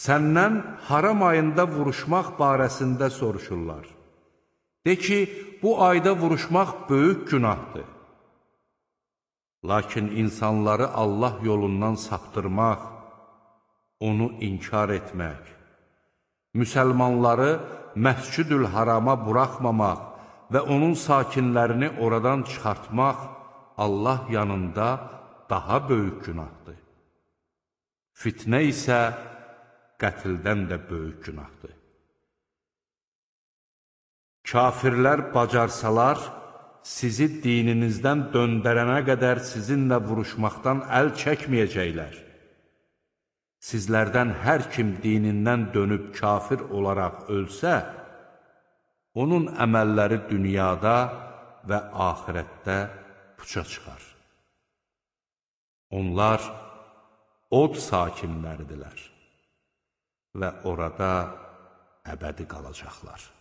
Səndən haram ayında vuruşmaq barəsində soruşurlar. De ki, bu ayda vuruşmaq böyük günahdır. Lakin insanları Allah yolundan saptırmaq, onu inkar etmək, müsəlmanları Məscid-ül Harama buraxmamaq və onun sakinlərini oradan çıxartmaq Allah yanında daha böyük günahdır. Fitnə isə qətldən də böyük günahdır. Kafirlər bacarsalar, sizi dininizdən döndərənə qədər sizinlə vuruşmaqdan əl çəkməyəcəklər. Sizlərdən hər kim dinindən dönüb kafir olaraq ölsə, onun əməlləri dünyada və axirətdə puça çıxar. Onlar od sakinləridirlər və orada əbədi qalacaqlar.